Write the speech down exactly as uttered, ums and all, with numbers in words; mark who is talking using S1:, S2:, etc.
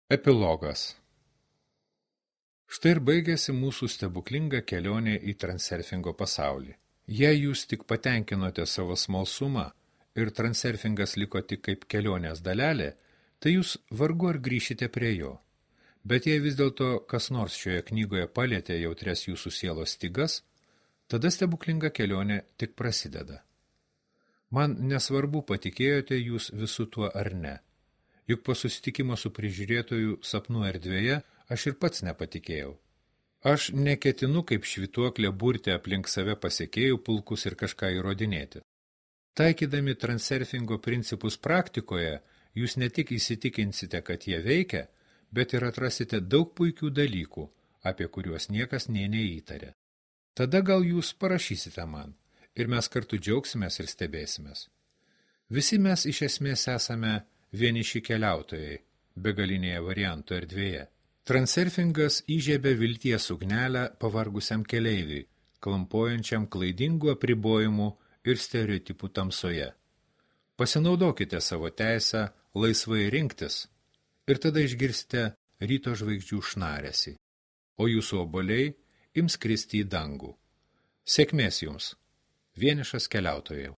S1: Epilogas. Štai ir baigėsi mūsų stebuklinga kelionė į transurfingo pasaulį. Jei jūs tik patenkinote savo smalsumą ir transurfingas liko tik kaip kelionės dalelė, tai jūs vargu ar grįšite prie jo. Bet jei vis dėlto kas nors šioje knygoje palietė jautrias jūsų sielos stygas, tada stebuklinga kelionė tik prasideda. Man nesvarbu, patikėjote jūs visu tuo ar ne. Juk po susitikimo su prižiūrėtoju sapnų erdvėje aš ir pats nepatikėjau. Aš neketinu kaip švytuoklė burti aplink save pasiekėjų pulkus ir kažką įrodinėti. Taikydami transurfingo principus praktikoje, jūs ne tik įsitikinsite, kad jie veikia, bet ir atrasite daug puikių dalykų, apie kuriuos niekas nė neįtarė. Tada gal jūs parašysite man, ir mes kartu džiaugsimės ir stebėsimės. Visi mes iš esmės esame vieniši keliautojai, begalinėje variantų erdvėje. Transurfingas įžiebė vilties ugnelę pavargusiam keleiviui, klampojančiam klaidingų apribojimų ir stereotipų tamsoje. Pasinaudokite savo teisę laisvai rinktis ir tada išgirsite ryto žvaigždžių šnaresį, o jūsų obuoliai ims kristi į dangų. Sėkmės jums, vienišas keliautojau.